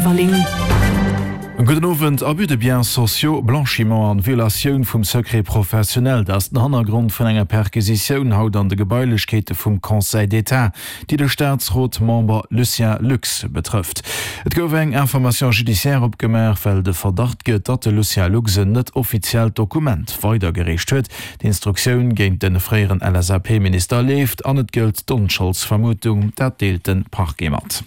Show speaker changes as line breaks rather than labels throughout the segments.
Everling.
Gudden Owend. Abus de biens sociaux, Blanchiment an Violatioun vum Secret professionnel, dat ass den Hannergrond vun enger Perquisitioun haut an de Gebailechkeete vum Conseil d'État, déi de Staatsrot-Member Lucien Lux betrëfft. Et gouf eng Information judiciaire opgemaach, well de Verdacht gëtt, datt de Lucien Lux en net offiziellt Dokument weidergereecht huet. D'Instruktioun géint de fréieren LSAP-Minister leeft an et gëllt d'Onscholdsvermutung, dat deelt de Parquet mat.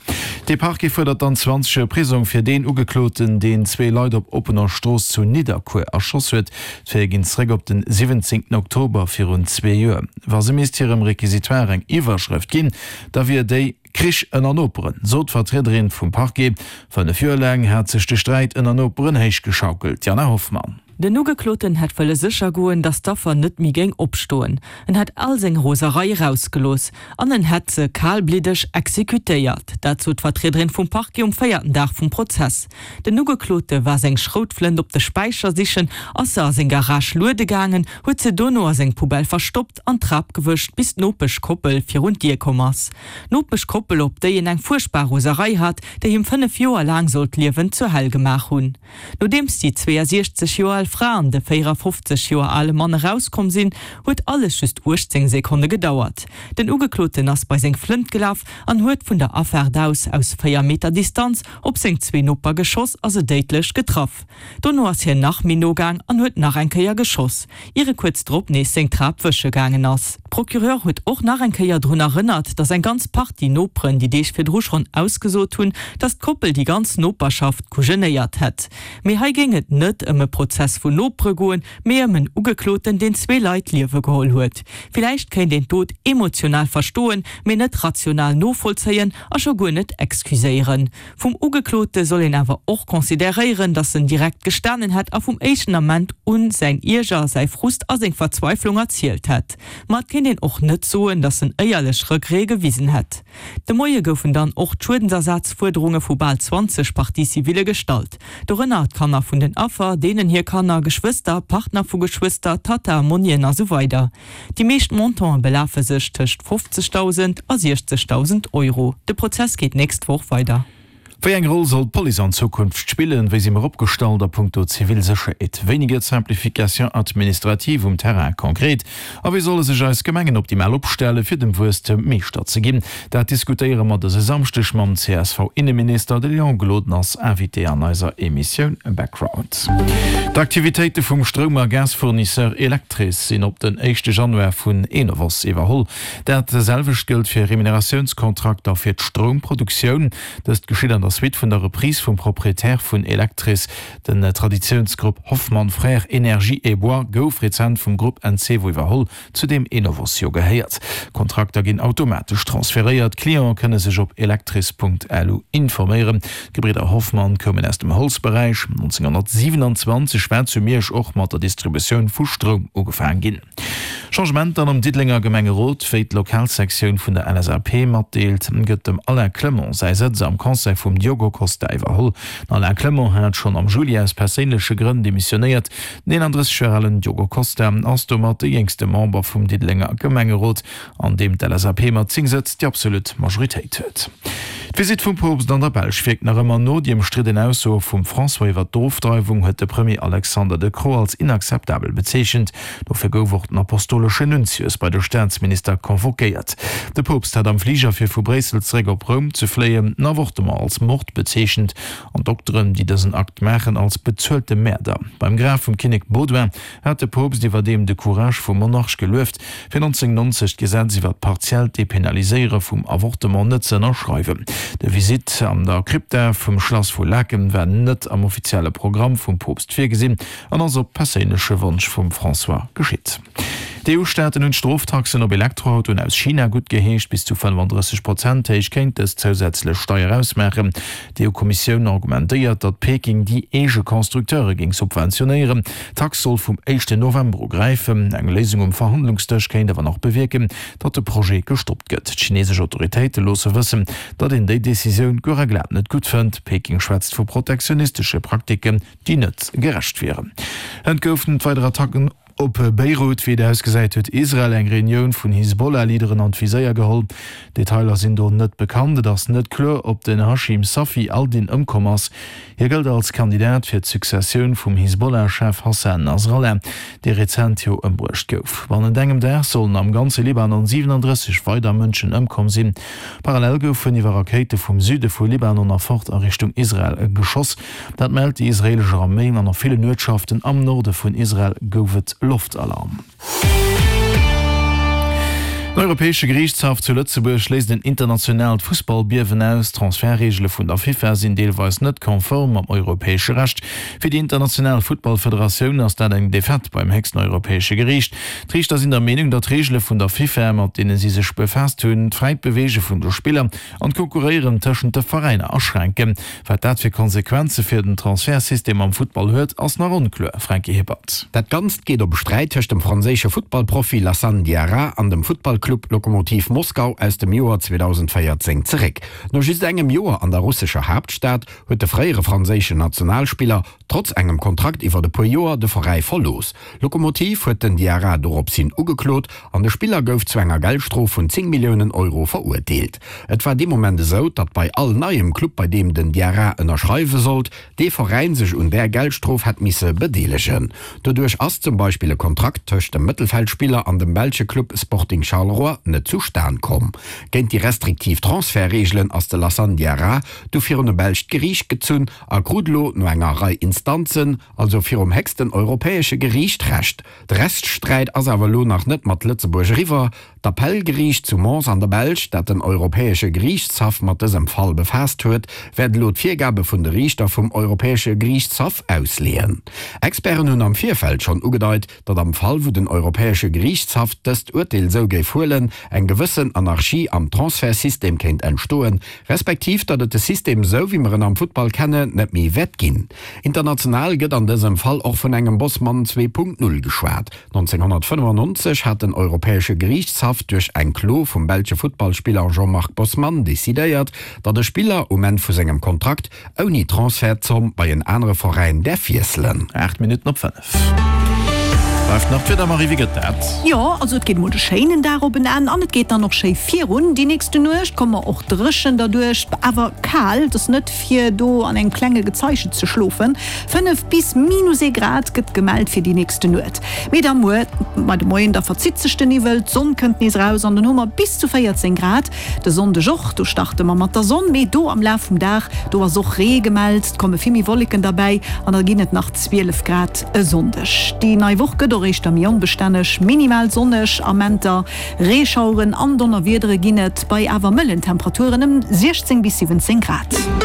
De Parquet fuerdert dann 20 Joer Prisong fir deen Ugekloten, deen zwee Leit op oppener Strooss zu Nidderkuer erschoss huet. D'Faite ginn zeréck op den 17 Oktober virun zwee Joer. Wa se misst hirem Requisitoire eng Iwwerschrëft ginn, da wier déi, Krich ënner Noperen, sot d'Vertriederin vum Parquet. 5 Joer laang hat sech de Sträit ënner Noperen héichgeschaukelt. Jana Hoffmann.
Den Ugekloten hätt wëlle sécher goen, datt d'Affer net méi géing opstoen. En hätt all seng Roserei erausgelooss an en hätt se kalbliddeg exekutéiert. Dat sot d'Vertriederin vum Parquet um véierten Dag vum Prozess. Den Ugeklote war seng Schroutflënt op de Späicher sichen, ass se a seng Garage luede gaangen, huet se dono a seng Poubelle verstoppt an d'Trap gewëscht, bis d'Nopeschkoppel virun d'Dier komm ass. D'Nopeschkoppel, op déi en eng fuerchtbar Roserei hat, déi him 5 Joer laang sollt d'Liewen zur Hell gemaach hunn. Nodeems déi 62 Joer al Fra an de 54 Joer ale Mann erauskomm sinn, huet alles just 18 Sekonne gedauert. Den Ugekloten ass bei seng Flënt gelaf an huet vun der Afaart aus aus 4 Meter Distanz op seng zwee Noper geschoss a se déidlech getraff. Dono ass hien nach méi no gaang an huet nach eng Kéier geschoss, ier e kuerz drop nees seng Trap wësche gaangen ass. D'Procureur huet och nach eng Kéier drun erënnert, datt eng ganz Partie Noperen déi Deeg virdru schonn ausgesot hunn, datt d'Koppel déi ganz Noperschaft kujenéiert hätt. Mee hei géing et net ëm e Prozess vun Nopere goen, mee ëm en Ugekloten, deen zwee Leit d'Liewe geholl huet. Villäicht kéint een d'Dot emotional verstoen, mee net rational novollzéien a scho guer net excuséieren. Vum Ugeklote soll een awer och consideréieren, datt en direkt gestanen hätt a vum éischten Ament un säin Ierger, säi Frust a seng Verzweiflung erzielt hätt. Ma et kéint een och net soen, datt en éierlech Regrete gewisen hätt. De Moie goufen dann och d'Schuedensersazfuerderunge vu bal 20 Parties civile gestallt. Dorënner d'Kanner vun den Affer, deenen hir Kanner, Geschwëster, Partner vu Geschwëster, Tatta, Monnien a sou weider. Déi meescht Montante belafe sech tëscht 50.000 a 60.000 Euro. De Prozess geet d'nächst Woch weider.
Wéi eng Roll soll d'Police an Zukunft spillen? Wéi si mer opgestallt a punkto zivil Sécherheet? Wéini gëtt d'Simplification administrative um Terrain konkret? A wéi solle sech eis Gemengen optimal opstellen, fir dem Wuesstem Meeschter ze ginn? Dat diskutéiere mer dëse Samschdeg mam CSV-Inneminister. De Léon Gloden ass Invité an eiser Emissioun Background. D'Aktivitéite vum Stroum a Gasfournisseur Electris sinn op den éischte Januar vun Enovos iwwerholl. Dat selwecht gëllt fir Remuneratiounskontrakter fir d'Stroumproduktioun. Dëst geschitt an der Suite vun der Reprise vum Proprietär vun Electris. Den Traditiounsgrupp Hoffmann Frères Énergie et Bois gouf rezent vum Grupp Encevo iwwerholl. zu deem Enovos jo gehéiert. Kontrakter ginn automatesch transferéiert, Clientë kënne sech op electris.lu informéieren. D'Gebridder Hoffmann koumen aus dem Holzberäich. 1927 war zu Miersch och mat der Distributioun vu Stroum ugefaang ginn. Changementer am Diddelenger Gemengerot, Wéi d'Lokalsektioun vun der LSAP matdeelt, gëtt dem Alain Clement säi Sëtz am Conseil vum Diogo Costa iwwerholl. Den Alain Clement hat schonn am Juli aus perséinleche Grënn demissionéiert. Den 31 Joer alen Diogo Costa ass domat de jéngste Member vum Diddelenger Gemengerot, an deem d'LSAP mat 10 Sëtz déi absolut Majoritéit huet. D'Visitt vum Poopst an der Belsch wierkt nach ëmmer no. Déi ëmstridden Aussoe vum François iwwer d'Ofdreiwung huet de Premier Alexander De Croo als inakzeptabel bezeechent. Dofir gouf och den apostoleschen Nuntius bei de Staatsminister convoquéiert. De Poopst hat am Fliger fir vu Bréissel zeréck op Roum ze fléien den Avortement als Mord bezeechent. An d'Dokteren, déi dësen Akt maachen, als bezuelte Mäerder. Beim Graf vum Kinnek Baudouin hat de Poopst iwwerdeem de Courage vum Monarch gelueft, fir 1990 d'Gesetz iwwer d'partiellt Depenaliséiere vum Avortement net ze ënnerschreiwen. De Visitt an der Krypta vum Schlass vu Laeken war net am offizielle Programm vum Poopst virgesinn an ass op perséinleche Wonsch vum François geschitt. D'EU-Staaten hunn d'Stroftaxen op Elektroautoen aus China guttgeheescht. Bis zu 35 Prozent héich kéint dës zousätzlech Steier ausmaachen. D'EU-Kommissioun argumentéiert, datt Peking déi eege Constructeure géing subventionéieren. D'Tax soll vum éischten November u gräifen. Eng Léisung um Verhandlungsdësch kéint awer nach bewierken, datt de Projet gestoppt gëtt. D'chinesesch Autoritéite loosse wëssen, datt een déi Decisioun guer a glat net gutt fënnt. Peking schwätzt vu protektionistesche Praktiken, déi net gerecht wieren. Et goufen weider Attacken. Op Beirut, wéi et ausgesäit, huet Israel eng Reunioun vun Hisbollah-Leaderen an d'Viséier geholl. Detailer sinn do net bekannt. Et ass net kloer, ob den Hashim Safi al-Din ëmkomm ass. Hie gëllt als Kandidat fir d'Successioun vum Hisbollah-Chef Hassan Nasrallah, dee rezent jo ëmbruecht gouf. Bannent engem Dag sollen am ganze Libanon 37 weider Mënschen ëmkomm sinn. Parallel goufen iwwer Rakéite vum Süde vu Libanon a fort a Richtung Israel geschoss. Dat mellt déi israeelesch Arméi an a villen Uertschaften am Norde vun Israel gouf et Loftalarm. Den Europäesche Geriichtshaff zu Lëtzebuerg léist en internationaalt Fussballbiewen aus. D'Transfertreegele vun der FIFA sinn deelweis net konform mam europäesche Recht. Fir déi international Futtballfederatioun ass dat eng Defaite beim héchsten europäesche Geriicht. D'Riichter sinn der Meenung, datt d'Reegele vun der FIFA, mat deene si sech befaasst hunn, d'fräit Beweege vun de Spiller an d'Konkurréieren tëschent de Veräiner aschränken. Wat dat fir Konsequenze fir den Transfertsystem am Futtball huet, ass nach onkloer. Franky Hippert.
Dat Ganzt geet op e Sträit tëscht dem franséische Futtballprofi Lassane Diarra an dem Futtballclub Lokomotiv Moskau aus dem Joer 2014 zeréck. No just engem Joer an der russescher Haaptstad huet de fréiere franséischen Nationalspiller trotz engem Kontrakt iwwert e puer Joer de Veräi verlooss. Lokomotiv huet den Diarra dorops hin ugeklot an de Spiller gouf zu enger Geldstrof vun 10 Milliounen Euro verurteelt. Et war dee Moment esou, datt bei all neiem Club bei deem den Diarra ënnerschreiwe sollt, dee Veräin sech un där Geldstrof hätt misse bedeelegen. Doduerch ass zum Beispill e Kontrakt tëscht dem Mëttelfeldspiller an dem belsche Club Sporting Charleroi net zustan komm. Géint déi restriktiv Transfertreegelen ass de Lassane Diarra du virun e belscht Geriicht gezunn a krut elo no enger Rei Instanzen, also virum héchsten europäesche Geriicht, Recht. De Rechtssträit ass awer elo nach net mat Lëtzebuerg eriwwer. D'Appellgeriicht zu Mons an der Belsch, dat den Europäesche Geriichtshaff mat dësem Fall befaasst huet, wäert elo d'Virgabe vun de Riichter vum Europäesche Geriichtshaff ausleeën. Experten hunn am Virfeld schonn ugedeit, datt am Fall wou den Europäesche Geriichtshaff dëst Urteel esou géif huelen, eng gewëssen Anarchie am Transfertsystem kéint entstoen, respektiv datt et de System esou wéi mer en am Futtball kennen, net méi wäert ginn. International gëtt an dësem Fall och vun engem Bosman 2.0 geschwat. 1995 hat den Europäesche Geriichtshaff duerch eng Klo vum belsche Futtballspiller Jean-Marc Bosman decidéiert, datt e Spiller um Enn vu sengem Kontrakt ouni Transfertzomm bei en anere Veräin däerf wiesselen.
8 Minutten op 5. Bleift nach d'Wieder, Marie, wéi gëtt dat?
Jo, also et geet mol de schéinen Dag op en Enn an et geet dann och schéi virun. Déi nächste Nuecht komme mer och dréchen derduerch, awer kal. Et ass net fir do an engem klenge Gezeiche ze schlofen. 5 bis minus ee Grad gëtt gemellt fir déi nächste Nuet. Mee da muer bei de Moien, da verzitt sech de Niwwel, d'Sonn kënnt nees eraus an dann hu mer bis zu 14 Grad. De Sonndeg och, do starte mer mat der Sonn, mee do am Laf vum Dag, do ass och Ree gemellt, et komme vill méi Wolleken derbäi an da ginn et nach 12 Grad e Sonndeg. Déi nei Woch gëtt och éischter méi onbestänneg, minimal sonneg Amenter, Reeschaueren an Donnerwiedere ginn et bei awer mëllen Temperaturen ëm 16 bis 17 Grad.